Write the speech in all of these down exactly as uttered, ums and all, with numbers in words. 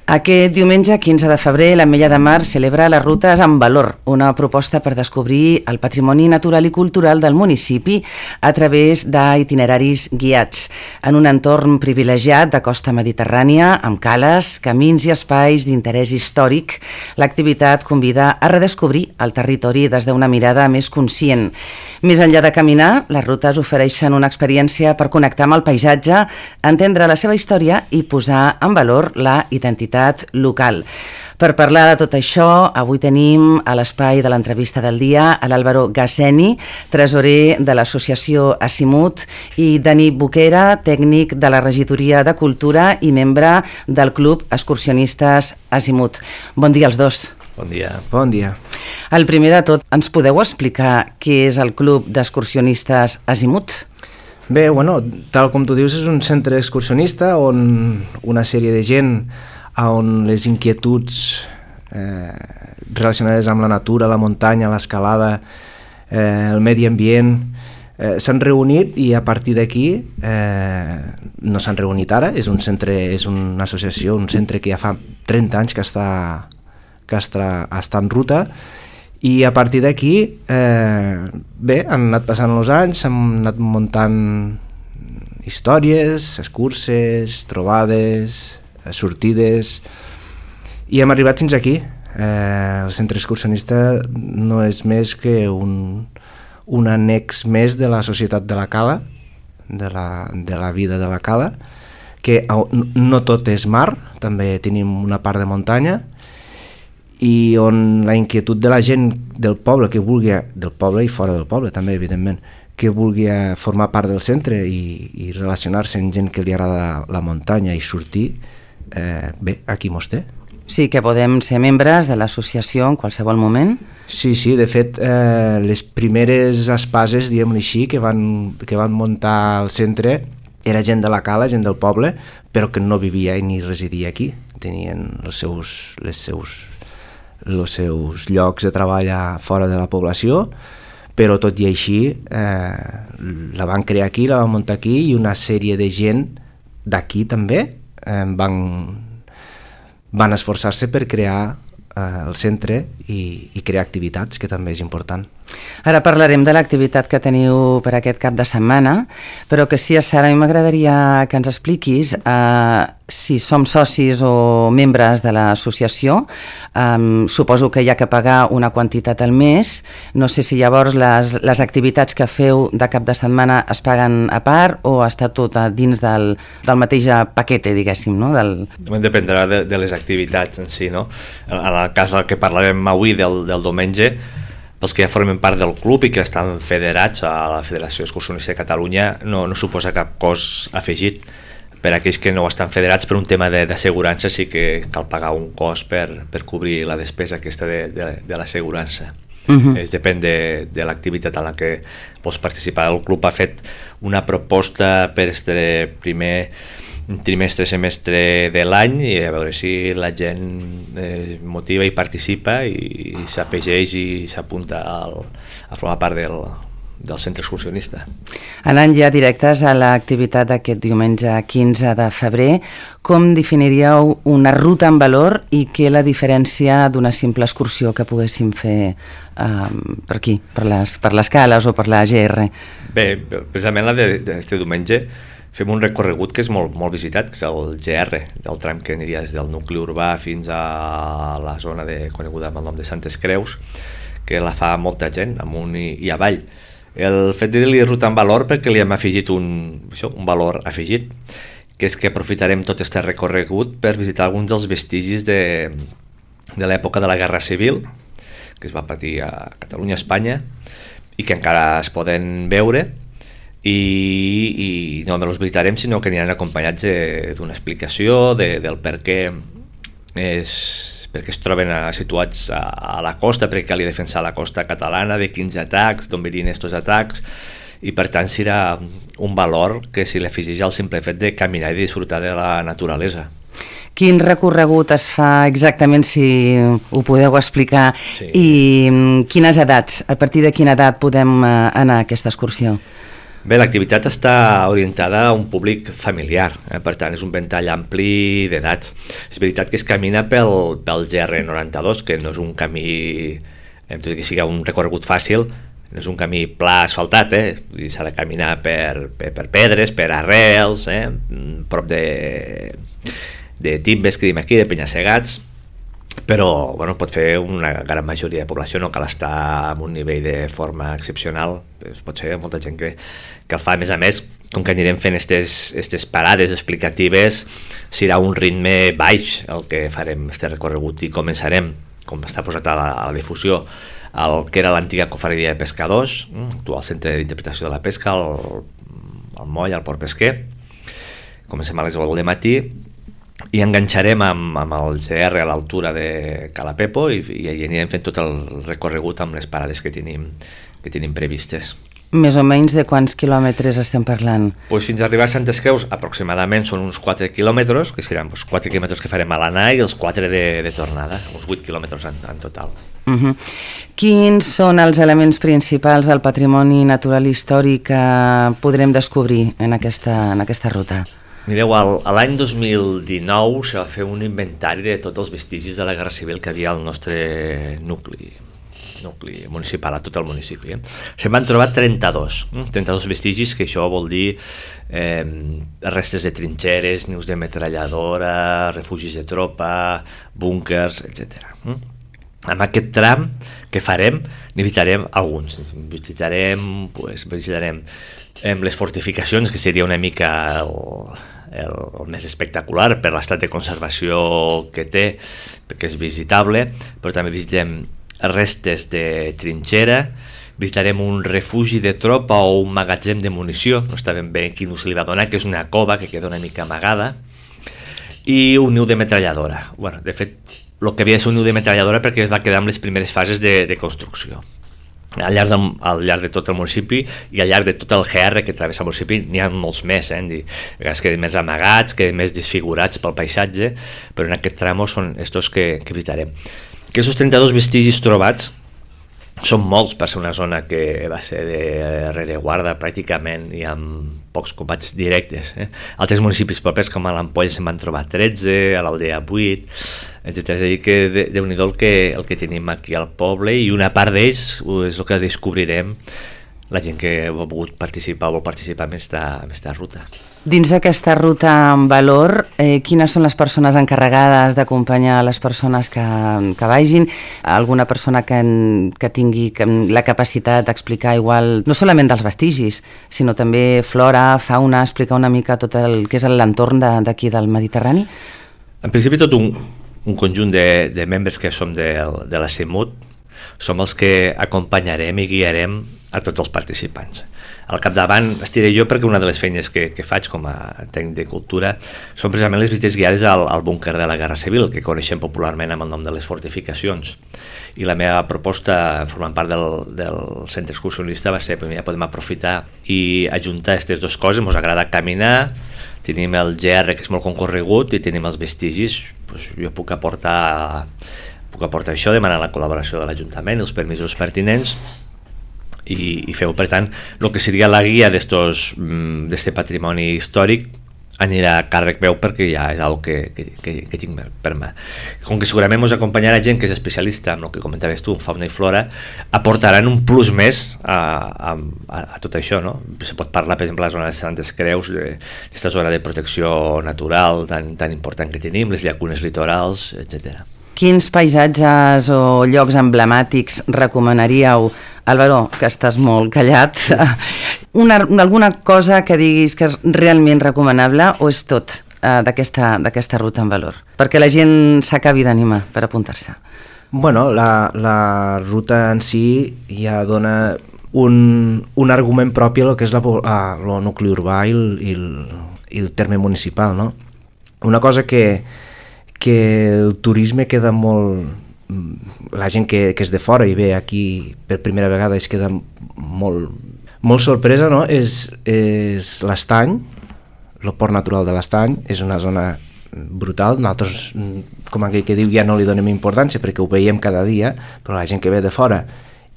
Aquest diumenge, quinze de febrer, l'Ametlla de Mar celebra les Rutes amb Valor, una proposta per descobrir el patrimoni natural i cultural del municipi a través d'itineraris guiats, en un entorn privilegiat de costa mediterrània, amb cales, camins i espais d'interès històric. L'activitat convida a redescobrir el territori des d'una mirada més conscient. Més enllà de caminar, les rutes ofereixen una experiència per connectar amb el paisatge, entendre la seva història i posar en valor la identitat local. Per parlar de tot això, avui tenim a l'espai de l'entrevista del dia a l'Álvaro Gasseni, tresorer de l'associació Azimut, i Dani Boquera, tècnic de la Regidoria de Cultura i membre del Club Excursionistes Azimut. Bon dia als dos. Bon dia. Bon dia. El primer de tot, ens podeu explicar què és el Club d'Excursionistes Azimut? Bé, bueno, tal com tu dius, és un centre excursionista on una sèrie de gent on les inquietuds eh, relacionades amb la natura, la muntanya, l'escalada, eh, el medi ambient, eh, s'han reunit i a partir d'aquí eh, no s'han reunit ara, és un centre, és una associació, un centre que ja fa trenta anys que està, que està, està en ruta, i a partir d'aquí eh, bé, han anat passant els anys, s'han anat muntant històries, excurses, trobades, sortides, i hem arribat fins aquí. Eh, el centre excursionista no és més que un, un annex més de la societat de la Cala, de la, de la vida de la Cala, que no tot és mar, també tenim una part de muntanya, i on la inquietud de la gent del poble, que vulgui, del poble i fora del poble també, evidentment, que vulgui formar part del centre i, i relacionar-se amb gent que li agrada la muntanya i sortir, eh, bé, aquí mos té. Sí, que podem ser membres de l'associació en qualsevol moment? Sí, sí, de fet, eh, les primeres espases, diguem-li així, que van, que van muntar el centre, era gent de la Cala, gent del poble, però que no vivia ni residia aquí. Tenien els seus, les seus, els seus llocs de treball fora de la població, però tot i així eh, la van crear aquí, la van muntar aquí, i una sèrie de gent d'aquí també eh, van, van esforçar-se per crear eh, el centre i, i crear activitats, que també és important. Ara parlarem de l'activitat que teniu per aquest cap de setmana, però que sí, Sara, a mi m'agradaria que ens expliquis eh, si som socis o membres de l'associació. Um, suposo que hi ha que pagar una quantitat al mes. No sé si llavors les, les activitats que feu de cap de setmana es paguen a part o està tot a dins del, del mateix paquete, diguéssim, no? Del... Dependrà de, de les activitats en si, no? En el cas que parlarem avui del, del diumenge, pels que ja formen part del club i que estan federats a la Federació Excursionista de Catalunya, no, no suposa cap cost afegit. Per aquells que no estan federats, per un tema d'assegurança sí que cal pagar un cost per, per cobrir la despesa aquesta de, de, de l'assegurança. Uh-huh. Es depèn de, de l'activitat en la que vols participar. El club ha fet una proposta per este primer trimestre, semestre de l'any, i a veure si la gent eh, motiva i participa i, i s'afegeix i s'apunta al, a formar part del, del centre excursionista. Anant ja directes a l'activitat d'aquest diumenge quinze de febrer, com definiríeu una ruta en valor i què la diferència d'una simple excursió que poguéssim fer um, per aquí, per les, per les cales o per la G R? Bé, precisament la d'aquest diumenge fem un recorregut que és molt, molt visitat, que és el G R, del tram que aniria des del nucli urbà fins a la zona de, coneguda amb el nom de Santes Creus, que la fa molta gent, amunt i, i avall. El fet de dir-li ruta en valor perquè li hem afegit un, això, un valor afegit, que és que aprofitarem tot aquest recorregut per visitar alguns dels vestigis de, de l'època de la Guerra Civil, que es va patir a Catalunya, a Espanya, i que encara es poden veure, i, i no només els visitarem, sinó que aniran acompanyats d'una explicació de, del per què és, perquè es troben a, situats a, a la costa, perquè cal defensar la costa catalana, de quins atacs, d'on venien aquests atacs, i per tant serà un valor que si l'afegeix al simple fet de caminar i disfrutar de la naturalesa. Quin recorregut es fa exactament, si ho podeu explicar, sí. I quines edats, a partir de quina edat podem anar a aquesta excursió? Bé, l'activitat està orientada a un públic familiar, eh? Per tant és un ventall ampli d'edats. És veritat que es camina pel, pel G R noranta-dos, que no és un camí, tot i que sigui un recorregut fàcil, no és un camí pla asfaltat, eh? S'ha de caminar per, per, per pedres, per arrels, eh? Prop de, de timbes, que diem aquí, de penya-segats, però bueno, pot fer una gran majoria de població, no cal estar en un nivell de forma excepcional, es pot ser molta gent que, que el fa. A més a més, com que anirem fent aquestes parades explicatives, serà un ritme baix el que farem este recorregut, i començarem, com està posat a la, a la difusió, el que era l'antiga cofreria de pescadors, actual centre d'interpretació de la pesca, el, el moll, el port pesquer. Comencem a les deu del matí i enganxarem amb, amb el G R a l'altura de Calapepo, i, i anirem fent tot el recorregut amb les parades que tenim, que tenim previstes. Més o menys de quants quilòmetres estem parlant? Pues fins a arribar a Santes Creus aproximadament són uns quatre quilòmetres, que seran pues, quatre quilòmetres que farem a l'anar i els quatre de, de tornada, uns vuit quilòmetres en, en total. Uh-huh. Quins són els elements principals del patrimoni natural i històric que podrem descobrir en aquesta, en aquesta ruta? Mireu, l'any dos mil dinou se va fer un inventari de tots els vestigis de la Guerra Civil que havia al nostre nucli, nucli municipal, a tot el municipi. Eh? Se'n van trobar trenta-dos, eh? trenta-dos vestigis, que això vol dir eh, restes de trinxeres, nius de metralladora, refugis de tropa, búnkers, etcètera. Eh? Amb aquest tram que farem, n'hi visitarem alguns. Visitarem, pues, visitarem eh, les fortificacions, que seria una mica el, el, el més espectacular per l'estat de conservació que té, perquè és visitable, però també visitem restes de trinxera, visitarem un refugi de tropa o un magatzem de munició, no està ben bé quin ús li va donar, que és una cova que queda una mica amagada, i un niu de metralladora. Bueno, de fet, el que havia de ser un niu de metralladora perquè es va quedar amb les primeres fases de, de construcció. Al llarg, de, al llarg de tot el municipi i al llarg de tot el G R que travessa el municipi n'hi ha molts més, eh? Es queden més amagats, queden més desfigurats pel paisatge, però en aquest tram són estos que, que visitarem. Aquests trenta-dos vestigis trobats són molts per ser una zona que va ser de rereguarda pràcticament i amb pocs combats directes. Eh? Altres municipis propers com a l'Ampolla se'n van trobar tretze, a l'Aldea vuit, etcètera. És a dir que déu-n'hi-do el que, el que tenim aquí al poble, i una part d'ells és el que descobrirem la gent que ha volgut participar o vol participar en aquesta ruta. Dins d'aquesta ruta en valor, eh, quines són les persones encarregades d'acompanyar les persones que, que vagin? Alguna persona que, que tingui la capacitat d'explicar igual, no solament dels vestigis, sinó també flora, fauna, explicar una mica tot el que és l'entorn d'aquí del Mediterrani? En principi tot un, un conjunt de, de membres que som de, de la CIMUT som els que acompanyarem i guiarem a tots els participants. Al capdavant estiré jo, perquè una de les feines que, que faig com a tècnic de cultura són precisament les visites guiades al, al búnquer de la Guerra Civil, que coneixem popularment amb el nom de les fortificacions. I la meva proposta, formant part del, del centre excursionista, va ser que ja podem aprofitar i ajuntar aquestes dues coses. Ens agrada caminar, tenim el G R, que és molt concorregut, i tenim els vestigis. Pues jo puc aportar, puc aportar això, demanar la col·laboració de l'Ajuntament, els permisos pertinents, i, i feu, per tant, el que seria la guia d'este patrimoni històric anirà a càrrec meu, perquè ja és una que, que, que, que tinc per mà. Com que segurament ens acompanyarà gent que és especialista en el que comentaves tu, en fauna i flora, aportaran un plus més a, a, a tot això, no? Se pot parlar, per exemple, de la zona de Santes Creus, d'aquesta zona de protecció natural tan, tan important que tenim, les llacunes litorals, etcètera. Quins paisatges o llocs emblemàtics recomanaríeu? Álvaro, que estàs molt callat. Una, alguna cosa que diguis que és realment recomanable, o és tot eh, d'aquesta d'aquesta ruta en valor? Perquè la gent s'acabi d'animar per apuntar-se. Bueno, la, la ruta en si ja dona un, un argument propi a lo que és la, a, el nucli urbà i el, i, el, i el terme municipal, no? Una cosa que que el turisme queda molt... La gent que, que és de fora i ve aquí per primera vegada es queda molt, molt sorpresa, no? És, és l'Estany, el port natural de l'Estany, és una zona brutal. Nosaltres, com aquell que diu, ja no li donem importància perquè ho veiem cada dia, però la gent que ve de fora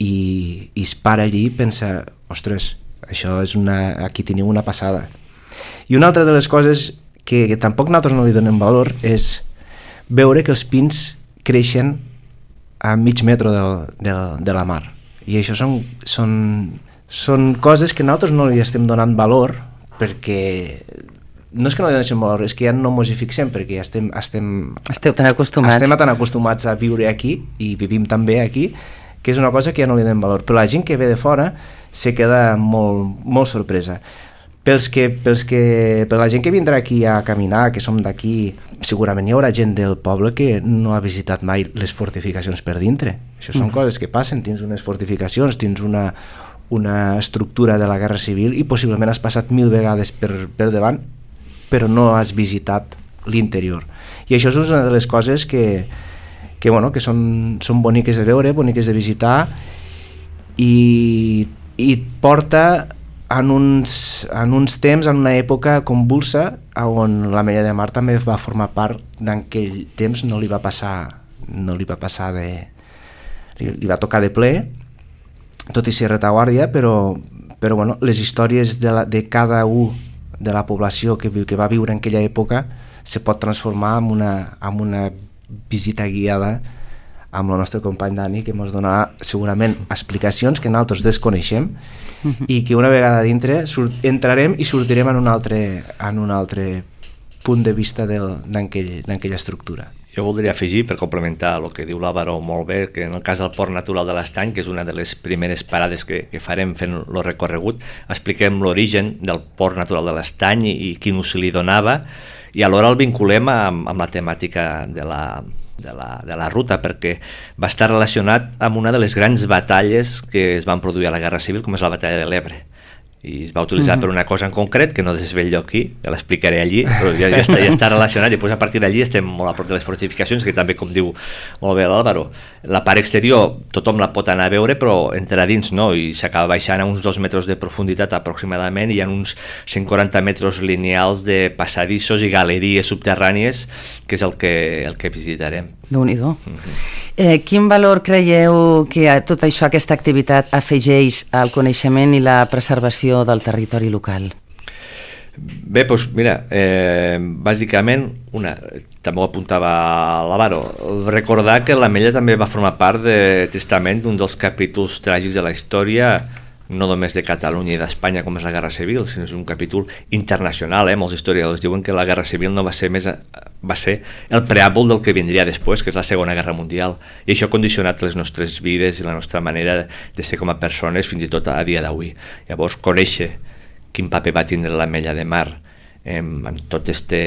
i, i es para allí pensa, ostres, Això és una... Aquí teniu una passada. I una altra de les coses que, que tampoc nosaltres no li donem valor és veure que els pins creixen a mig metre del, del, de la mar. I això són, són, són coses que nosaltres no li estem donant valor perquè no és que no li donem valor, és que ja no mos hi fixem perquè ja estem, estem, Esteu tan acostumats. estem tan acostumats a viure aquí i vivim també aquí que és una cosa que ja no li donem valor. Però la gent que ve de fora se queda molt, molt sorpresa. Pels que, pels que, per la gent que vindrà aquí a caminar, que som d'aquí, segurament hi haurà gent del poble que no ha visitat mai les fortificacions per dintre. Això són mm. coses que passen, tens unes fortificacions, tens una, una estructura de la Guerra Civil i possiblement has passat mil vegades per, per davant, però no has visitat l'interior. I això és una de les coses que, que, bueno, que són, són boniques de veure, boniques de visitar i, i porta en uns, en uns temps, en una època convulsa on l'Ametlla de Mar també va formar part d'aquell temps, no li va passar no li va passar de li, li va tocar de ple tot i ser retaguardia, però, però bueno, les històries de, la, de cada un de la població que, que va viure en aquella època se pot transformar en una, en una visita guiada amb el nostre company Dani, que ens donarà segurament explicacions que nosaltres desconeixem uh-huh. i que una vegada dintre surt, entrarem i sortirem en un altre, en un altre punt de vista d'aquella estructura. Jo voldria afegir, per complementar el que diu l'Àlvaro molt bé, que en el cas del Port Natural de l'Estany, que és una de les primeres parades que, que farem fent el recorregut, expliquem l'origen del Port Natural de l'Estany i, i quin ús li donava, i alhora el vinculem amb, amb la temàtica de la, de, la, de la ruta, perquè va estar relacionat amb una de les grans batalles que es van produir a la Guerra Civil, com és la batalla de l'Ebre. I es va utilitzar mm-hmm. per una cosa en concret que no desvello aquí, ja l'explicaré allí, però ja, ja, està, ja està relacionat, i després a partir d'allí estem molt a prop de les fortificacions, que també, com diu molt bé l'Àlvaro, la part exterior tothom la pot anar a veure, però entra dins no, i s'acaba baixant a uns dos metres de profunditat aproximadament, i hi ha uns cent quaranta metres lineals de passadissos i galeries subterrànies, que és el que, el que visitarem. Déu-n'hi-do. Mm-hmm. Eh, quin valor creieu que tot això, aquesta activitat, afegeix al coneixement i la preservació del territori local? Bé, doncs mira, eh, bàsicament, una, també ho apuntava l'Àlvaro, recordar que l'Ametlla també va formar part, de, tristament, d'un dels capítols tràgics de la història, no només de Catalunya i d'Espanya com és la Guerra Civil, sinó és un capítol internacional. Eh? Molts historiadors diuen que la Guerra Civil no va ser més va ser el preàmbul del que vindria després, que és la Segona Guerra Mundial, i això ha condicionat les nostres vides i la nostra manera de ser com a persones fins i tot a dia d'avui. Llavors, conèixer quin paper va tindre l'Ametlla de Mar en, en tot este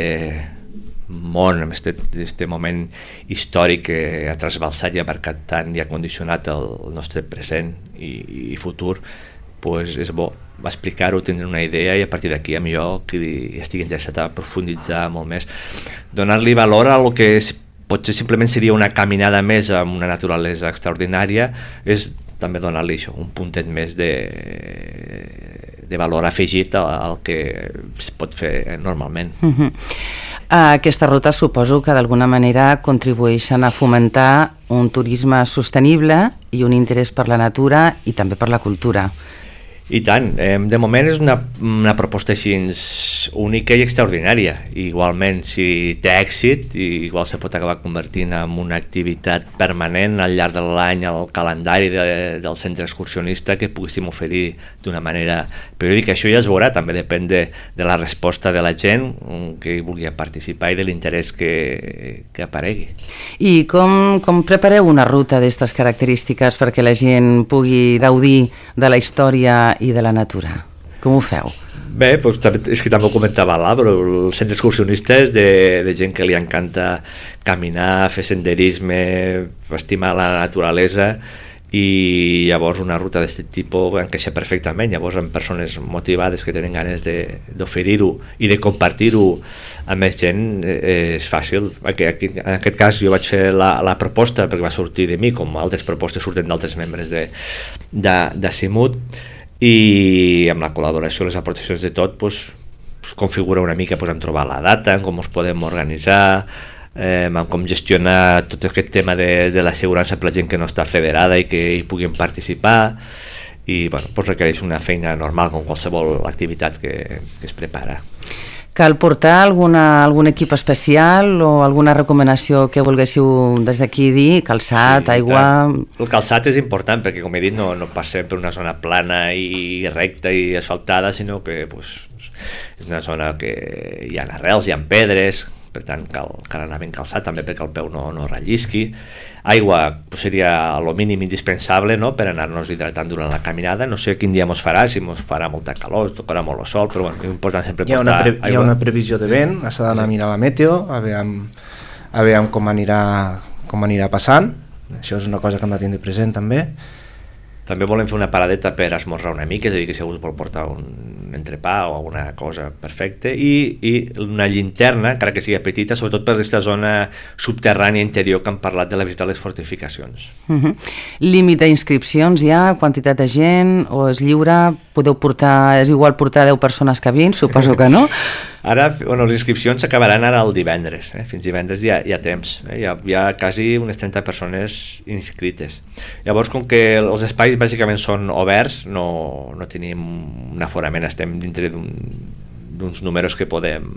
món, en este, este moment històric que ha trasbalsat i ha marcat tant i ha condicionat el, el nostre present i, i futur, pues és bo explicar-ho, tindre una idea, i a partir d'aquí a millor qui estigui interessat a profunditzar molt més, donar-li valor a lo que és, potser simplement seria una caminada més amb una naturalesa extraordinària, és també donar-li això, un puntet més de, de valor afegit al, al que es pot fer normalment. Uh-huh. Aquesta ruta suposo que d'alguna manera contribueixen a fomentar un turisme sostenible i un interès per la natura i també per la cultura. I tant, de moment és una, una proposta així única i extraordinària. Igualment, si té èxit, igual se pot acabar convertint en una activitat permanent al llarg de l'any al calendari de, del centre excursionista que poguéssim oferir d'una manera periòdica. Això ja es veurà, també depèn de, de la resposta de la gent que vulgui participar i de l'interès que, que aparegui. I com, com prepareu una ruta d'aquestes característiques perquè la gent pugui gaudir de la història i de la natura? Com ho feu? Bé, doncs, és que també ho comentava l'Àlvaro, el centre excursionista és de, de gent que li encanta caminar, fer senderisme, estimar la naturalesa, i llavors una ruta d'aquest tipus encaixa perfectament. Llavors, amb persones motivades que tenen ganes d'oferir-ho i de compartir-ho amb més gent, eh, és fàcil. Aquí, aquí, en aquest cas jo vaig fer la, la proposta perquè va sortir de mi, com altres propostes surten d'altres membres de, de, de Simut, i amb la col·laboració, les aportacions de tot, pues, pues, configura una mica, pues, en trobar la data, en com ens podem organitzar, eh, en com gestionar tot aquest tema de, de l'assegurança per la gent que no està federada i que hi puguin participar, i bueno, doncs requereix una feina normal com qualsevol activitat que, que es prepara. Cal portar alguna, algun equip especial o alguna recomanació que volguéssiu des d'aquí dir? Calçat, sí, aigua... El calçat és important perquè, com he dit, no, no passem per una zona plana i recta i asfaltada, sinó que pues, és una zona que hi ha arrels, hi ha pedres, per tant cal, cal anar ben calçat també perquè el peu no, no rellisqui. Aigua pues, seria el mínim indispensable, no?, per anar-nos hidratant durant la caminada. No sé quin dia mos farà, si mos farà molta calor, tocarà molt el sol, però bueno, és important sempre portar hi ha una pre aigua. Hi ha una previsió de vent, s'ha d'anar a mirar la meteo, a veure, a veure com, anirà, com anirà passant. Això és una cosa que hem de tindre present també. També volem fer una paradeta per esmorzar una mica, és a dir, que si algú vol portar un entrepà o alguna cosa perfecta, i, i una llinterna, encara que sigui petita, sobretot per aquesta zona subterrània interior que hem parlat de la visita a les fortificacions. Uh-huh. Límit d'inscripcions hi ha, quantitat de gent, o és lliure? Podeu portar, és igual portar deu persones que vint? Suposo que no. Ara, bueno, les inscripcions s'acabaran ara el divendres, eh? Fins divendres hi ha, hi ha temps, eh? hi, ha, hi ha quasi unes trenta persones inscrites. Llavors, com que els espais bàsicament són oberts, no, no tenim un aforament, estem dintre d'uns números que podem,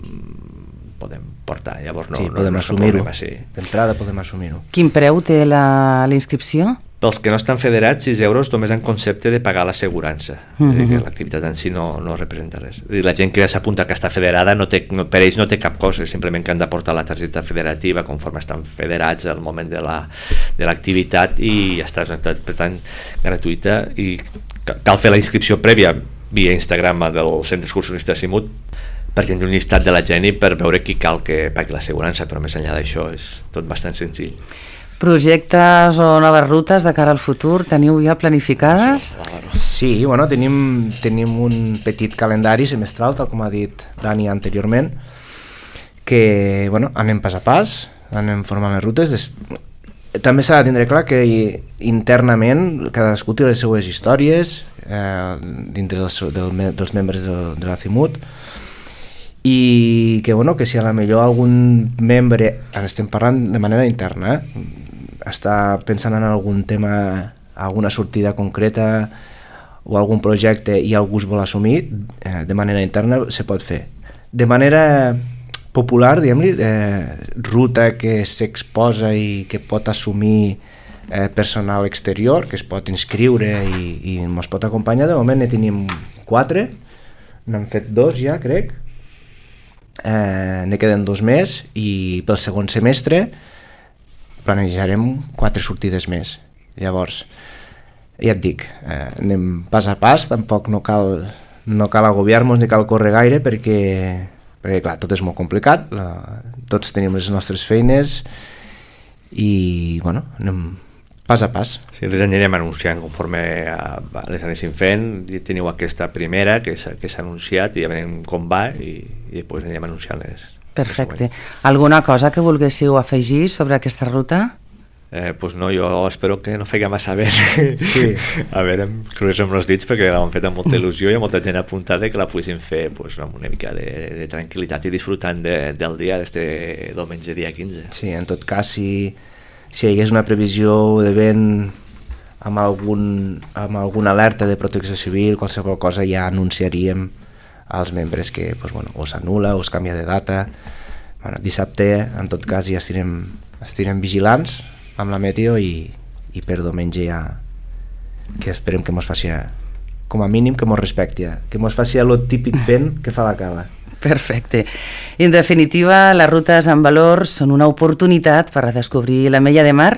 podem portar, llavors no, sí, no, podem no assumir-ho, sí. D'entrada podem assumir-ho. Quin preu té la, la inscripció? Pels que no estan federats, sis euros només en concepte de pagar l'assegurança. Mm-hmm. Que l'activitat en si no, no representa res. La gent que s'apunta que està federada, no té, no, per ells no té cap cost, simplement que han de portar la targeta federativa conforme estan federats al moment de l'activitat la, i ja està, per tant, gratuïta, i cal fer la inscripció prèvia via Instagram del Centre Excursionista Simut per tindre un llistat de la gent i per veure qui cal que pagui l'assegurança, però més enllà d'això és tot bastant senzill. Projectes o noves rutes de cara al futur teniu ja planificades? Sí, bueno, tenim, tenim un petit calendari semestral, tal com ha dit Dani anteriorment, que bueno, anem pas a pas, anem formant les rutes. Des... També s'ha de tindre clar que internament cadascú té les seues històries eh, dintre dels, del, dels membres del, de la CIMUT, i que, bueno, que si a la millor algun membre, ara estem parlant de manera interna, eh, està pensant en algun tema, alguna sortida concreta o algun projecte i algú es vol assumir, eh, de manera interna se pot fer. De manera popular, diguem-li, eh, ruta que s'exposa i que pot assumir eh, personal exterior, que es pot inscriure i, i ens pot acompanyar, de moment ne tenim quatre, n'hem fet dos ja, crec, eh, ne queden dos més i pel segon semestre planejarem quatre sortides més. Llavors, ja et dic, eh, anem pas a pas, tampoc no cal, no cal agobiar-nos ni cal córrer gaire perquè, perquè clar, tot és molt complicat, la, tots tenim les nostres feines i, bueno, anem pas a pas. Sí, les anirem anunciant conforme a, a les anéssim fent. Teniu aquesta primera que s'ha anunciat i ja veurem com va i, i després anirem anunciant les. Perfecte. Alguna cosa que volguéssiu afegir sobre aquesta ruta? Eh, pues no, jo espero que no feia massa bé. Sí. A veure, em crues amb els dits perquè l'han fet amb molta il·lusió i hi ha molta gent apuntada que la poguessin fer pues, amb una mica de, de tranquil·litat i disfrutant de, del dia, d'este diumenge dia quinze. Sí, en tot cas, si, si hi hagués una previsió de vent amb, algun, amb alguna alerta de protecció civil, qualsevol cosa ja anunciaríem als membres que pues, bueno, o s'anul·la o es canvia de data. Bueno, dissabte, en tot cas, ja estirem, estirem vigilants amb la meteo i, i per diumenge ja que esperem que mos faci, com a mínim que mos respecti, que mos faci el típic vent que fa la cala. Perfecte. En definitiva, les rutes en valor són una oportunitat per redescobrir l'Ametlla de Mar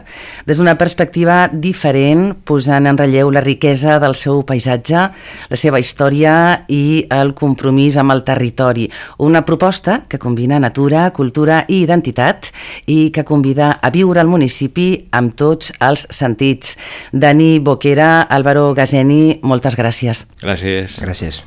des d'una perspectiva diferent, posant en relleu la riquesa del seu paisatge, la seva història i el compromís amb el territori. Una proposta que combina natura, cultura i identitat i que convida a viure al municipi amb tots els sentits. Dani Boquera, Álvaro Gazeni, moltes gràcies. Gràcies. Gràcies.